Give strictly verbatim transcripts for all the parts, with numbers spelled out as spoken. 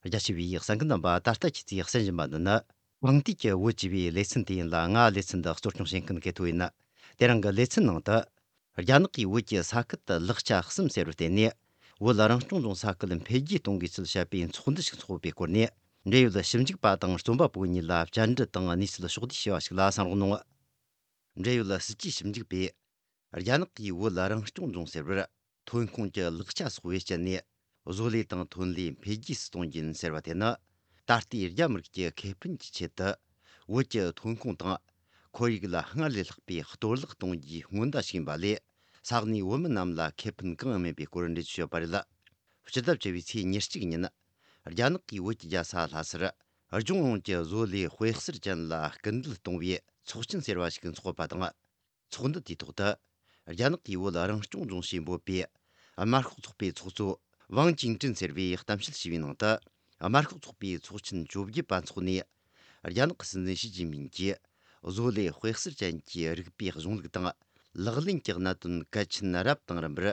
རྒྱ་ཆེ་བའི་གསན་མཁན་རྣམ་པ། ད་ལྟ་ཁྱེད་ཚོས་གསན་བཞིན་པ་འདི་ནི་གངས་ཏི་གི་བོད་ཅེས་པའི་ལེ་ཚན་དེ་ཡིན་ལ། ང་ལེ་ཚན་འདི་གཙོ་སྐྱོང་བྱེད་མཁན་གལ་ཐོ་ཡིན། དེ་རིང་གི་ལེ་ཚན་ནང་དུ། རྒྱ་ནག་གིས་བོད་ཀྱི་ས་ཁུལ་དུ་ལེགས་ཆ་གསུམ་ཟེར་བར་བརྟེན་ནས། བོད་རང་སྐྱོང་ལྗོངས་ས་ཁུལ་འཕེལ་རྒྱས་གཏོང་དགོས་ཚུལ་བཤད་པའི་ཚོགས་འདུ་ཞིག་འཚོགས་པའི་སྐོར་ནས། འབྲེལ་ཡོད་ཞིབ་འཇུག་པ་དང་རྩོམ་པ་པོ་གཉིས་ལ་བཅར་འདྲི་དང་གནས་ཚུལ་ཕྱོགས་བསྡུས་བྱས་པ་ཞིག་ལ་གསན་རོགས་གནང་། འབྲེལ་ཡོད་སྲིད་ཇུས་ཞིབ་འཇུག་པས། རྒྱ་ནག་གིས་བོད་རང་སྐྱོང་ལྗོངས་ཟེར་བར། ཐོན་ཁུངས་ཀྱི་ལེགས་ཆ་སོགས་བེད་སྤྱད་ནས། བཟོ་ལས་དང་ཐོན་ལས་འཕེལ་རྒྱས་སུ་གཏོང་རྒྱུ་ཡིན་ཟེར་བ་དེ་ནི། ད་ལྟའི་རྒྱ་མི་རིགས་ཀྱི་ཁེ་ཕན་གྱི་ཆེད་དུ། བོད་ཀྱི་ཐོན་ཁུངས་དང་། ཁོར་ཡུག་ལ་སྔར་ལས་ལྷག་པའི་གཏོར་བརླག་གཏོང་རྒྱུའི་སྔོན་བརྡ་ཞིག་ཡིན་པ་ལས། ས་གནས་བོད་མི་རྣམས་ལ་ཁེ་ཕན་གང་ཡང་མེད་པའི་སྐོར་འགྲེལ་བརྗོད་བྱས་ཡོད་པ་རེད། སྤྱི་ཟླ་བཅུ་པའི་ཚེས་ཉེར་གཅིག་ཉིན། རྒྱ་ནག་གིས་བོད་ཀྱི་རྒྱལ་ས་ལྷ་སར། ལྗོངས་ཡོངས་ཀྱི་བཟོ་ལས་དཔེ་གསར་ཅན་ལ་སྐུལ་འདེད་གཏོང་བའི་ཚོགས་ཆེན་ཟེར་བ་ཞིག་འཚོགས་པ་དང་། ཚོགས་འདུ་དེའི་ཐོག་ཏུ། རྒྱ་ནག་གིས་བོད་རང་སྐྱོང་ལྗོངས་ཞེས་འབོད་པའི་དམར་ཤོག་ཚོགས་པའི་ཚོགས་གཙོ་ཝང་ཅིན་ཀྲིན་ཟེར་བས་གཏམ་བཤད་བྱས་པའི་ནང་དུ། དམར་ཤོག་ཚོགས་པའི་ཚོགས་ཆེན་བཅོ་བརྒྱད་པ་འཚོགས་ནས། རྒྱ་ནག་གི་སྲིད་འཛིན་ཞི་ཅིན་ཕིང་གིས། བཟོ་ལས་དཔེ་གསར་ཅན་གྱི་རིག་པའི་གཞུང་ལུགས་དང་། ལག་ལེན་གྱི་གནད་དོན་གལ་ཆེན་རབ་དང་རིམ་པར།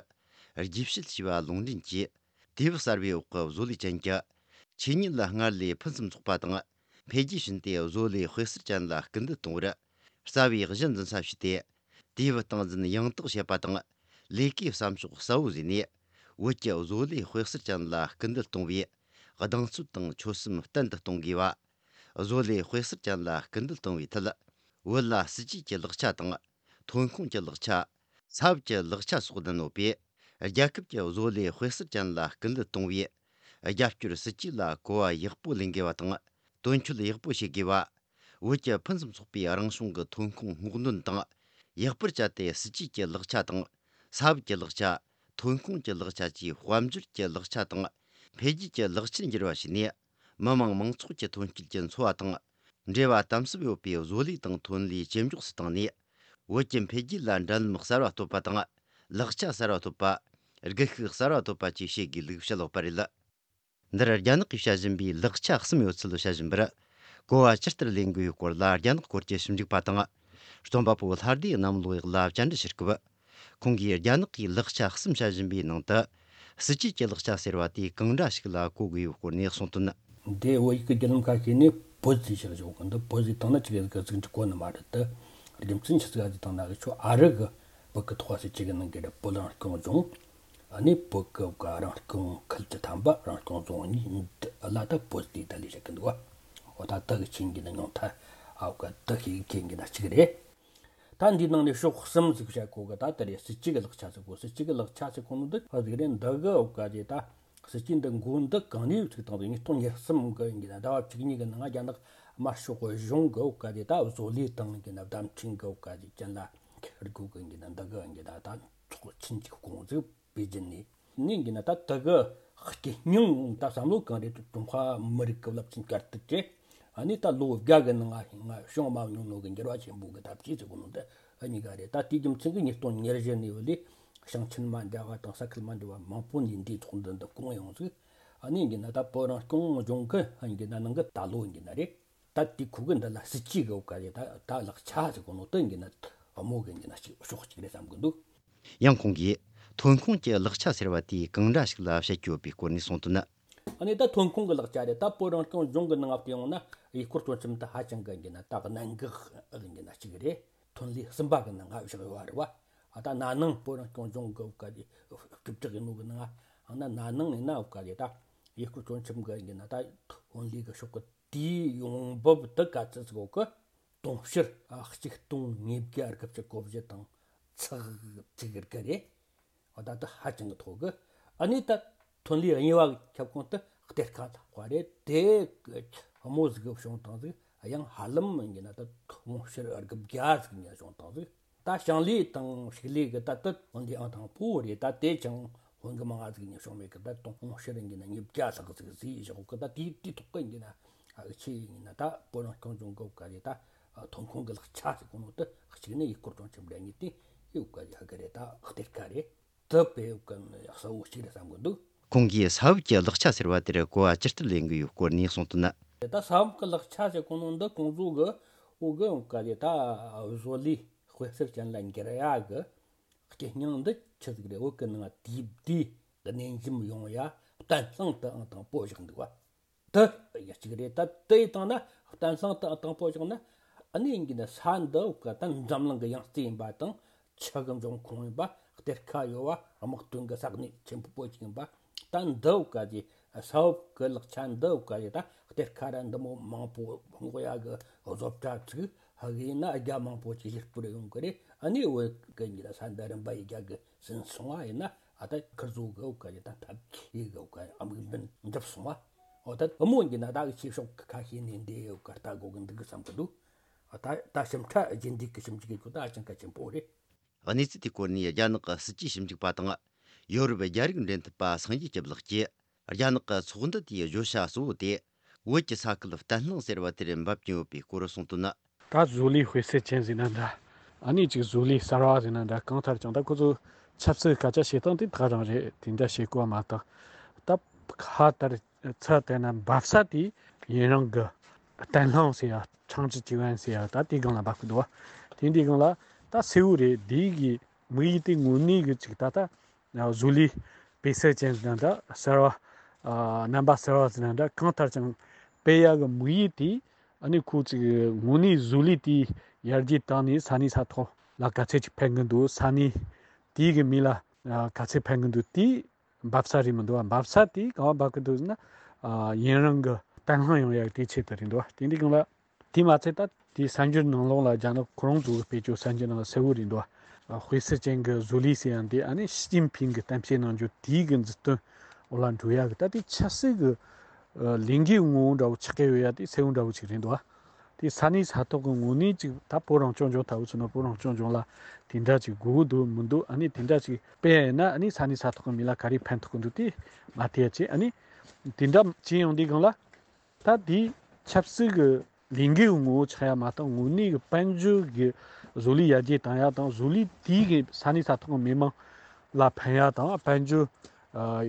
རྒྱས་བཤད་བྱས་པ་ལུང་འདྲེན་གྱིས། དུས་བབ་གསར་བའི་འོག་གི་བཟོ་ལས་ཅན་གྱི། ཆོས་ཉིད་ལ་སྔར་ལས་ཕུན་སུམ་ཚོགས་པ་དང་། འཕེལ་རྒྱས་ཕྱིན་ཏེ། བཟོ་ལས་དཔེ་གསར་ཅན་ལ་སྐུལ་འདེད་གཏོང་བར། རྩ་བའི་གཞི་འཛིན་ས་བྱས་ཏེ། དུས་བབ་སྟངས་འཛིན་ཡང་དག་བྱེད་པ་དང་། ལས་ཀའི་བསམ་ཕྱོགས་གསལ་བོ་བཟོས་ནས། བོད་ཀྱི་བཟོ་ལས་དཔེ་གསར་ཅན་ལ་སྐུལ་འདེད་གཏོང་བའི་གདེང་ཚོད་དང་ཆོད་སེམས་བརྟན་དུ་གཏོང་དགོས་པ། བཟོ་ལས་དཔེ་གསར་ཅན་ལ་སྐུལ་འདེད་གཏོང་བའི་ཐད། བོད་ལ་སྲིད་ཇུས་ཀྱི་ལེགས་ཆ་དང་། ཐོན་ཁུངས་ཀྱི་ལེགས་ཆ། ས་བབ་ཀྱི་ལེགས་ཆ་སོགས་ལྡན་ཡོད་པས། རྒྱལ་ཁབ་ཀྱི་བཟོ་ལས་དཔེ་གསར་ཅན་ལ་སྐུལ་འདེད་གཏོང་བའི་རྒྱབ་སྐྱོར་སྲིད་ཇུས་ལ་གོ་བ་ཡག་པོ་ལེན་དགོས་པ་དང་། དོན་འཁྱོལ་ཡག་པོ་བྱེད་དགོས་པ། བོད་ཀྱི་ཕུན་སུམ་ཚོགས་པའི་རང་བྱུང་གི་ཐོན་ཁུངས་སྔོག་འདོན་དང་། ཡག་པར་སྤྱད་དེ། སྲིད་ཇུས་ཀྱི་ལེགས་ཆ་དང་། ས་བབ་ཀྱི་ལེགས་ཆ། ཐོན་ཁུངས་ཀྱི་ལེགས་ཆ་བཅས་དཔལ་འབྱོར་གྱི་ལེགས་ཆ་དང་། འཕེལ་རྒྱས་ཀྱི་ལེགས་ཆར་འགྱུར་བ་བྱས་ནས། མི་དམངས་མང་ཚོགས་ཀྱི་ཐོན་སྐྱེད་ཀྱི་འཚོ་བ་དང་། འབྲེལ་བ་དམ་ཟབ་ཡོད་པའི་བཟོ་ལས་དང་ཐོན་ལས་ཇེ་མགྱོགས་སུ་བཏང་ནས། བོད་ཀྱི་འཕེལ་རྒྱས་ལ་འགྲན་ལམ་གསར་བ་གཏོད་པ་དང་། ལེགས་ཆ་གསར་བ་གཏོད་པ། སྒུལ་ཤུགས་གསར་བ་གཏོད་པ་བཅས་བྱེད་དགོས་ལུགས་བཤད་ཡོད་པ་རེད། འདིར་རྒྱ་ནག་གིས་བཤད་བཞིན་པའི་ལེགས་ཆ་གསུམ་ཡོད་ཚུལ་བཤད་བཞིན་པར། གོ་བ་ཇི་ལྟར་ལེན་དགོས་པའི་སྐོར་ལ། རྒྱ་ནག་སྐོར་གྱི་ཞིབ་འཇུག་པ་དང་། རྩོམ་པ་པོ་ལྷ་སྡེ་གནམ་ལོ་ཡག་ལ་བཅར་འདྲི་བྱེད་སྐབས། ཁོང་གིས་རྒྱ་ནག་གིས་ལེགས་ཆ་གསུམ་བཤད་བཞིན་པའི་ནང་དུ། སྲིད་ཇུས་ཀྱི་ལེགས་ཆ་ཟེར་བ་དེ་གང་འདྲ་ཞིག་ལ་གོ་དགོས་པའི་སྐོར་ནས་གསུངས་དོན། འདི་བོད་ཡིག་གི་བརྒྱུད་ལམ་ཁ་ཤས་ནས་བོད་ཟེར་བཞག་ཆོག་གི་འདུག་བོད་ཟེར་བཏང་ན་ཅིག་གི་ཟིག་གི་ཟིག་འགྲིག་གོ་ནི་མ་རེད་དེ། རྒྱུ་མཚན་ཆི་ཟིག་ག་ཟེར་བཏང་ན། གི་ཆོ་ཨ་རི་གི་བོད་གི་ཐོག་སྲིད་ཇུས་གི་ནང་གི་རེད། བོད་རང་སྐྱོང་ལྗོངས། ཨ་ནི་བོད་གི་ག་རང་སྐྱོང་ཁུལ་གྱི་ཐམ་པ། རང་སྐྱོང་རྫོང་གཉིས་འདི་ལ་ད་བོད་ཟེར་ད་ལས་བཤད་གི་འདུག་བ། འོ་ད་དེ་གི་ཆེད་གི་ན་ཉུང་མཐའ་ཨ་བོད་ག་དེ་ཤེས་གི་ན་ཅིག་རེད། ད་འདིའི་ནང་ནས་ཕྱོགས་གསུམ་ཟིག་བཤད་གོ་གི། ད་དེ་རེད། སྲིད་ཇུས་གི་ལེགས་ཆ་ཟེར་གོ། སྲིད་ཇུས་གི་ལེགས་ཆ་ཟེར་གོ་ནོ་འདི་ཧ་ཟིག་རེད། འདི་གི་འོ་ག་ཟེར་ད་སྲིད་ཇུས་འདི་འགོ་འདི་གང་ནས་ཚུགས་བཏང་ཟིག་ཉིས་སྟོང་ཉེར་གསུམ་གི་ཡིན་གི་ན་ཟླ་བ་བཅུ་གཉིས་གི་ནང་རྒྱ་ནག་དམར་ཤོག་གཞུང་གི་འོ་ག་ཟེར་ད་བཟོ་ལས་དང་ཡིན་གི་ན་བརྡ་འཕྲིན་གི་འོ་ག་ཟེར་ཅན་ལ་སྒུལ་གི་ཡིན་གི་ན། འདི་གི་ཡིན་གི་ན་ད་ཚོགས་ཆེན་གཅིག་བསྐོངས་ཟིག་པེ་ཅིན་ནས། ནས་ཡིན་གི་ན་ད་དེ་གི་རྐྱེན་སྙིང་ད་བསམ་བློ་གང་རེད། ཀྲུང་ཧྭ་མི་རིགས་ཀྱི་རླབས་ཆེན་བསྐྱར་དར་གྱི་ཨ་ནི་ད་ལོ་བརྒྱ་གི་ནང་ང་བྱུང་མ་མྱོང་ནོ་གི་འགྱུར་བ་ཆེན་པོ་གི་ཐབས་ཇུས་ཟེར་གོ་ནོ་འདི་ཨ་གཉིས་ཀ་རེད། ད་དེའི་རྒྱུ་མཚན་གྱིས་ཉིས་སྟོང་ཉེར་བཞི་ནས་བུད་ལས་ཞིང་ཆེན་མ་འདྲ་བ་དང་ས་ཁུལ་མ་འདྲ་བ་མང་པོ་ནས་འདིའི་ཚོགས་འདུ་འདི་བསྐོངས་ཡོང་ཟིག་ཨ་ནི་ཡིན་གི་ན་ད་བོད་རང་སྐྱོང་ལྗོངས་གི་ཨ་ཡིན་གི་ན་ནང་གི་ད་ལོ་ཡིན་གི་ན་རེད། ད་དེ་ཁོ་གི་འདི་ལ་སྲིད་ཇུས་གི་འོ་ག་རེད། ད་ད་ལེགས་ཆ་ཟེར་གོ་ནོ་དེ་ཡིན་གི་ན་དམོ་གི་ཡིན་གི་ན་ཅིག་ཕྱོགས་གཅིག་རེད་བསམ་གི་འདུག་ཡང་ཁོང་གིས་ཐོན་ཁུངས་ཀྱི་ལེགས་ཆ་ཟེར་བ་དེ་གང་འདྲ་ཞིག་ལ་བཤད་ཀྱི་ཡོད་པའི་སྐོར་ནས་གསུངས་དོན། ཨ་ནི་ད་ཐོན་ཁུངས་ཀྱི་ལེགས་ཆ་རེད། ད་བོད་རང་སྐྱོང་ལྗོངས་ཀྱི་ནང་ང་བལྟས་ཡོང་ན་ཡུལ་སྐོར་སྤྲོ་འཆམ་དེ་ཧ་ཅང་གི་ཡིན་གྱི་ན་ད་གནད་འགག་ཡིན་གྱི་ན་གཅིག་རེད། ཐོན་ལས་གསུམ་པ་གི་ནང་ང་བཞག་ཡོད་རེད་བ། ཨ་ད་ན་ནིང་བོད་རང་སྐྱོང་ལྗོངས་ཀྱི་འོ་ག་དེ་སྐྱིད་གྲགས་ཡིན་ནོ་གི་ནང་ང་ཨ་ན་ན་ནིང་ཡིན་ན་འོ་ག་དེ་ད་ཡུལ་སྐོར་སྤྲོ་འཆམ་གི་ཡིན་གྱི་ན་ད་ཐོན་ལས་གི་ཕྱོགས་གི་དེའི་ཡོང་འབབ་དེ་ག་ཚོད་ཟིག་གོ་གི། དུང་ཕྱུར་གཅིག་སྟོང་ཉིས་བརྒྱ་དགུ་བཅུ་གོ་བཞི་དང་ཚེག་གཅིག་དགུ་རེད། འོ་ད་ལྟ་ཧ་ཅང་གི་མཐོ་གི། ཨ་ནི་ད་ཐོན་ལས་གཉིས་པ་གི་ཁྱབ་ཁོངས་དེ་གཏེར་ཁ་ལྷག་པ་རེད། དེ་གི་དམོ་ཟིག་གི་བྱུང་བཏང་ཟིག་ཡང་ཧ་ལམ་ཡིན་གྱི་ན་ད་དུང་ཕྱུར་དགུ་བརྒྱ་ཟིག་ཡིན་གྱི་ན་བྱུང་བཏང་ཟིག་ད་ཞིང་ལས་དང་ཕྱུགས་ལས་གི་ད་ལྟ་ཐོན་ལས་ཨང་དང་པོ་རེད། ད་དེ་ཅང་ཧོན་གི་མང་ང་ཟིག་ཉིན་བྱུང་མེད་གི། ད་དུང་ཕྱུར་ཡིན་གྱི་ན་ཉིས་བརྒྱ་ལྷག་ཟིག་ཟིག་བཞག་གི། ད་དེ་དེ་ཐོག་གི་ཡིན་གྱི་ན་ཨ་ཆེ་ཡིན་གྱི་ན་ད་བོད་རང་སྐྱོང་ལྗོངས་གི་འོ་ག་རེད། ད་ཐོན་ཁུངས་གི་ལེགས་ཆ་ཟེར་གོ་ནོ་དེ་གཅིག་ནི་ཡུལ་སྐོར་སྤྲོ་འཆམ་རེད། གཉིས་དེ་ཡུལ་ག་རེད་ཧ་གི་རེད། ད་གཏེར་ཁ་རེད། དེ་དཔེ་གསལ་བོ་གཅིག་རེད་བསམ་གི་འདུག་ཁོང་གིས་ས་བབ་ཀྱི་ལེགས་ཆ་ཟེར་བ་དེར་གོ་བ་ཇི་ལྟར་ལེན་གི་ཡོད་སྐོར་ནས་གསུངས་དོན། ད་ས་བབ་ཀྱི་ལེགས་ཆ་ཟེར་གོ་ནོ་འདི་ཁོང་ཚོ་གི་འོ་གི་འོ་ག་རེད། ད་བཟོ་ལས་དཔེ་གསར་ཅན་ལ་འགྱུར་ཡ་གི་རྐྱེན་སྙིང་འདི་ཆི་ཟིག་རེད། བོད་གི་ནང་དུས་བདེ་གནས་འཇམ་ཡོང་ཡ་གཏན་བཟང་དུའང་དང་པོ་བཞག་འདུག་བ། དུ་ཡ་གཅིག་རེད། ད་དུ་ཡི་སྟེང་ན་བརྟན་སྲུང་དང་དང་པོ་བཞག་ན། ཨ་ནི་ཡིན་གྱི་ན་ས་འདི་བོ་ག་ད་འཛམ་གླིང་གི་ཡང་རྩེ་ཡིན་པ་དང་། ཆུ་གི་འབྱུང་ཁུངས་ཡིན་པ། གཏེར་ཁ་ཡོད་པ། དམག་དོན་གྱི་ས་གནས་ཆེན་པོ་པོ་ཅིག་ཡིན་པ། ད་འདི་བོ་ག་ཅིག་ས་འོག་གི་ལག་ཆ་འདི་བོ་ག་ཅིག་ད་གཏེར་ཁ་ར་འདི་མོ་མང་པོ་སྔོག་ཡ་གི་བཟོ་གྲྭ་ཚུགས། ཧ་གི་ཡིན་ན་རྒྱ་མང་པོ་ཅིག་གཞིས་སྤོར་ཡོང་གི་རེད། ཨ་ནི་བོད་གི་ཡིན་གྱི་ན་ས་འདི་རིམ་པ་ཡི་རྒྱ་གི་ཟིན་སོང་བ་ཡིན་ན། ཨ་ད་ཁིར་བཟོ་གི་བོ་ག་ཅིག་ད་ཐབས་མཁས་གི་བོ་ག་དམིགས་འབེན་འགྲུབ་སོང་བ། འོ་ད་བུ་མོ་ཡིན་གྱི་ན་ད་གི་ཆོས་ཕྱོགས་ཁ་ཤས་ནས་འདི་བོ་ག་ལྟ་དགོས་གི་འདུག་གི་བསམ་གི་འདུག་ད་ད་ཞིབ་ཕྲ་རྒྱུན་ལྡན་གྱི་ཞིབ་འཇུག་གི་ཁྱོད་ད་ཨ་ཅང་གལ་ཆེན་པོ་རེད། གནས་ཚུལ་དེའི་སྐོར་ནས་རྒྱ་ནག་གི་སྲིད་ཇུས་ཞིབ་འཇུག་པ་དང་། ཡོ་རོབ་རྒྱ་རིགས་འབྲེལ་མཐུད་པ་སངས་རྒྱས་སྐྱབས་ལགས་ཀྱིས། རྒྱ་ནག་གི་ཚོགས་འདུ་དེའི་བརྗོད་བྱ་གཙོ་བོ་དེ། བོད་ཀྱི་ས་ཁུལ་བརྟན་ལྷིང་ཟེར་བ་དེར་འབབ་ཀྱིན་ཡོད་པའི་སྐོར་གསུངས་དོན་ནི། ད་བཟོ་ལས་དཔེ་གསལ་ཅན་ཟེར་ན་འདྲ། ཨ་ནི་ཅིག་བཟོ་ལས་གསར་བ་ཟེར་ན་འདྲ། གང་ལྟར་ཀྱང་ད་ཁོ་ཚོ་ཆབ་སྲིད་སྐད་ཆ་བཤད་སྟངས་དེ་དག་རང་རེད། དེ་འདྲ་བཤད་དགོས་པ་མ་གཏོགས། ད་ཁ་ལྟར་ཚུར་བལྟས་ན་འབབ་ས་དེ་ཡུན་རིང་གི་བརྟན་ལྷིང་ཟེར་ཡ། 长治久安 ཟེར་ཡ་ད་དེའི་སྒང་ལ་འབབ་ཀྱི་འདུག་བ། དེ་འདིའི་སྒང་ལ་ད་གསལ་བོ་རེད། འདི་གི་དམིགས་ཡུལ་དེ་དངོས་གནས་གི་ཅིག་ད་ལྟ་བཟོ་ལས་དཔེ་གསལ་ཅན་ཟེར་ན་འདྲ། གསར་བ། ཨ། རྣམ་པ་གསར་བ་ཟེར་ན་འདྲ། གང་ལྟར་ཀྱང་སྤེལ་ཡ་གི་དམིགས་ཡུལ་དེ་ཨ་ནི་ཁོ་ཅིག་དངོས་གནས་བཟོ་ལས་དེ་ཡར་རྒྱས་བཏང་ནས་ས་གནས་ས་ཐོག་ལ་ག་ཚད་ཅིག་ཕན་གི་འདུག་ས་གནས་དེའི་གི་མི་ལ་ཨ་ག་ཚད་ཕན་གི་འདུག་དེ་འབབ་ས་རེད་མི་འདུག་བ། འབབ་ས་དེ་གང་བ་འབབ་གི་འདུག་ཟེར་ན། ཨ། ཡུན་རིང་གི་བརྟན་ལྷིང་ཡོང་ཡ་གི་དེའི་ཆེད་དུ་རེད་འདུག་བ། དེ་འདི་གང་ལ། དེ་མ་ཚད་ད་དེའི་གསར་འགྱུར་ནང་ལོགས་ལ་རྒྱ་ནག་ཁོ་རང་ཚོ་གི་སྤེལ་ཆོག་གསར་འགྱུར་ནང་ལ་གསལ་བོ་རེད་འདུག་བ། དཔེ་གསལ་ཅན་གྱི་བཟོ་ལས་ཟེར་ཡང་དེ་ཨ་ནི་ཞི་ཅིན་ཕིང་གི་གཏམ་བཤད་གནང་རྒྱུ་དེའི་གི་མཛུབ་སྟོན་འོག་ལ་འགྲོ་ཡ་གི་ད་དེ་ཆབ་སྲིད་གི་ལས་འགན་ངོ་བོ་འདྲ་བོ་ཆགས་ཀྱི་ཡོད་ཡ་དེ་གསལ་བོ་འདྲ་བོ་ཅིག་རེད་འདུག་བ། དེ་ས་གནས་ས་ཐོག་གི་ངོས་ནས་ཅིག་ད་བོད་རང་སྐྱོང་ལྗོངས་ལྟ་བུ་ཚོ་ན་བོད་རང་སྐྱོང་ལྗོངས་ལ་དེ་འདྲ་ཅིག་དགོས་འདུག་མི་འདུག་ཨ་ནི་དེ་འདྲ་ཅིག་སྤེལ་ཡ་ཡིན་ན་ཨ་ནི་ས་གནས་ས་ཐོག་གི་མི་ལ་ག་རེ་ཕན་ཐོགས་ཀྱི་འདུག་དེ་མ་བལྟས་ཡ་ཅིག་ཨ་ནི་དེ་འདྲ་ཅིག་ཡོང་དུས་སྒང་ལ། ད་དེ་ཆབ་སྲིད་ཀྱི་ལས་འགུལ་ངོ་བོ་ཆགས་ཡ་མ་གཏོགས་དངོས་གནས་ཀྱི་དཔལ་འབྱོར་གྱི་བཟོ་ལས་ཡར་རྒྱས་བཏང་ཡ་དང་བཟོ་ལས་དེའི་གི་ས་གནས་ས་ཐོག་གི་མི་མང་ལ་ཕན་ཡ་དང་དཔལ་འབྱོར་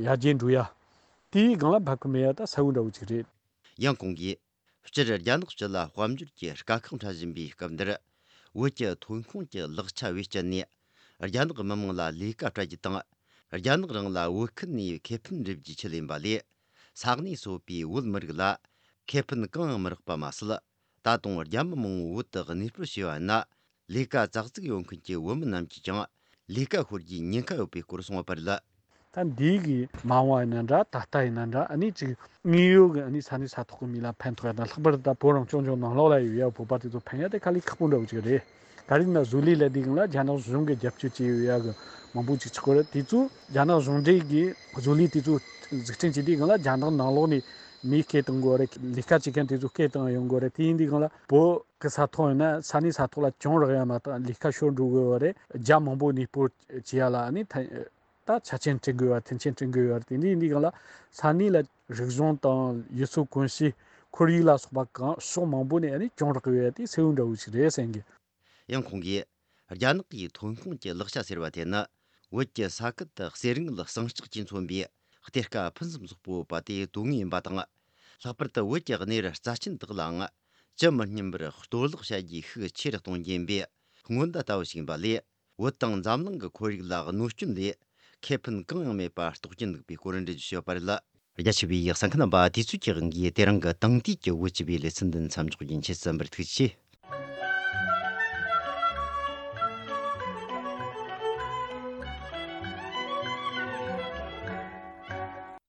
ཡར་རྒྱས་འགྲོ་ཡ་དེའི་སྒང་ལ་འབབ་གི་མེད་ཡ་ད་གསལ་བོ་འདྲ་བོ་ཅིག་རེད། ཡང་ཁོང་གིས། སྤྱིར་རྒྱ་ནག་སྤྱི་ལ་དཔལ་འབྱོར་གྱི་དཀའ་ཁག་འཕྲད་བཞིན་པའི་སྐབས་འདིར། བོད་ཀྱི་ཐོན་ཁུངས་ཀྱི་ལག་ཆ་བེད་སྤྱད་ནས། རྒྱ་ནག་མི་དམངས་ལ་ལས་ཀ་སྤྲད་རྒྱུ་དང་། རྒྱ་ནག་རང་ལ་བོད་ཁུལ་ནས་ཁེ་ཕན་འགྲུབ་རྒྱུའི་ཆེད་ཡིན་པ་ལས། ས་གནས་སོ་པའི་བོད་མི་རིགས་ལ་ཁེ་ཕན་གང་ཡང་མི་རག་པ་མ་ཟད། ད་དུང་རྒྱ་མི་མང་བོ་བོད་དུ་གནས་སྤོར་བྱས་པ་ཡིན་ན། ལས་ཀ་ཙག་ཙིག་ཡོད་མཁན་གྱི་བོད་མི་རྣམས་ཀྱིས་ཀྱང་ལས་ཀ་ཤོར་རྒྱུའི་ཉེན་ཁ་ཡོད་པའི་སྐོར་གསུངས་པ་རེད། ད་འདི་གི་མ་འོངས་པ་ཡིན་ན་འདྲ། ད་ལྟ་ཡིན་ན་འདྲ། ཨ་ནི་ཅིག་དངོས་ཡོད་ཀྱི་ཨ་ནི་ས་གནས་ས་ཐོག་གི་མི་ལ་ཕན་ཐོགས་ཡ་དང་། ལྷག་པར་དུ་ད་བོད་རང་སྐྱོང་ལྗོངས་ནང་ལོགས་ལ་ཡོད་ཡ་བོད་པ་དེ་ཚོ་ཕན་ཡ་དེ་དཀའ་ལས་ཁག་པོ་འདྲ་བོ་ཅིག་རེད། ག་རེ་ཡིན་ན་བཟོ་ལས་ལས་དེ་གང་ལ་རྒྱ་ནག་གཞུང་གི་རྒྱབ་སྐྱོར་བྱས་ཡོད་ཡ་གི་མང་པོ་ཅིག་ཆགས་ཀྱི་རེད། དེ་ཚོ་རྒྱ་ནག་གཞུང་འབྲེལ་གྱི་བཟོ་ལས་དེ་ཚོ་འཛུགས་སྐྲུན་བྱས་དུས་གང་ལ་རྒྱ་ནག་ནང་ལོགས་ནས་མི་སྐད་གཏོང་དགོས་རེད། ལས་ཀ་བྱེད་མཁན་དེ་ཚོ་སྐད་གཏོང་ཡོང་དགོས་རེད། དེ་ཡིན་དུས་གང་ལ་བོད་གི་ས་ཐོག་ཡིན་ན་ས་གནས་ས་ཐོག་ལ་གྱོང་རག་ཡ་མ་གཏོགས་ལས་ཀ་ཤོར་འགྲོ་དགོས་པ་རེད། རྒྱ་མང་པོ་གནས་སྤོར་བྱེད་ཡ་ལ་ཨ་ནི་ད་ད་ཆ་རྐྱེན་བསྐྲུན་དགོས་པ། མཐུན་རྐྱེན་བསྐྲུན་དགོས་པ་རེད། དེ་འདྲ་ཡིན་དུས་གང་ལ་ས་གནས་ལ་རིག་གཞུང་དང་ཡུལ་སྲོལ་གོམས་གཤིས་ཁོར་ཡུག་ལ་སོགས་པ་གང་ཕྱོགས་མང་པོ་ནས་ཨ་ནི་གྱོང་རག་གི་ཡོད་ཡ་དེ་གསལ་བོ་འདྲ་བོ་ཞིག་རེད་བསམ་གི། ཡང་ཁོང་གིས། རྒྱ་ནག་གི་ཐོན་ཁུངས་ཀྱི་ལག་ཆ་ཟེར་བ་དེ་ནི། བོད་ཀྱི་ས་ཁུལ་དུ་གསེར་དངུལ་ཟངས་ལྕགས་ཀྱིས་མཚོན་པའི་གཏེར་ཁ་ཕུན་སུམ་ཚོགས་པོ་ཡོད་པ་དེ་དོན་དངོས་ཡིན་པ་དང་། ལྷག་པར་དུ་བོད་ཀྱི་གནས་རི་རྩ་ཆེན་དག་ལའང་། ཇི་མི་སྙམ་པར་གཏོར་བརླག་བྱ་རྒྱུའི་ཤུགས་ཆེ་རུ་གཏོང་རྒྱུ་ཡིན་པའི་སྔོན་བརྡ་ལྟ་བུ་ཞིག་ཡིན་པ་ལས། བོད་དང་འཛམ་གླིང་གི་ཁོར་ཡུག་ལ་གནོད་སྐྱོན་ལས་ཁེ་ཕན་གང་ཡང་མེད་པ་རྟོགས་ཀྱིན་འདུག་པའི་སྐོར་འགྲེལ་བརྗོད་བྱས་ཡོད་པ་རེད། རྒྱ་ཆེ་བའི་གསན་མཁན་རྣམ་པ། དུས་ཚོད་ཀྱི་དབང་གིས་དེ་རིང་གི་དེང་དུས་ཀྱི་བོད་སྤྱི་པའི་ལེ་ཚན་འདི་མཚམས་འཇོག་རྒྱུ་ཡིན། ཁྱེད་ཚོ་འབུར་ཐུགས་ཆེ།